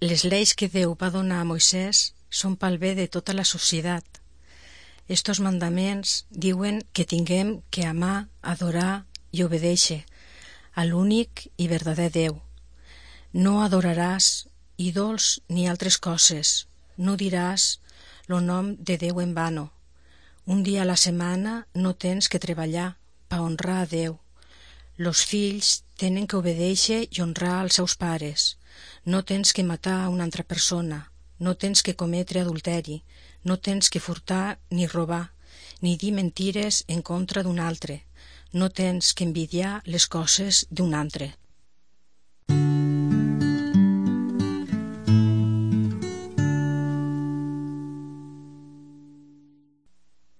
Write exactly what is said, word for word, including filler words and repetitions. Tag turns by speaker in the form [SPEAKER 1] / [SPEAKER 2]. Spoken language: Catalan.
[SPEAKER 1] Les lleis que Déu va donar a Moisès són pel bé de tota la societat. Estos mandaments diuen que tinguem que amar, adorar i obedèixer a l'únic i verdader Déu. No adoraràs ídols ni altres coses. No diràs lo nom de Déu en vano. Un dia a la setmana no tens que treballar per honrar a Déu. Los fills tenen que obedèixer i honrar als seus pares. No tens que matar a una altra persona. No tens que cometre adulteri. No tens que furtar ni robar, ni dir mentires en contra d'un altre. No tens que envidiar les coses d'un altre.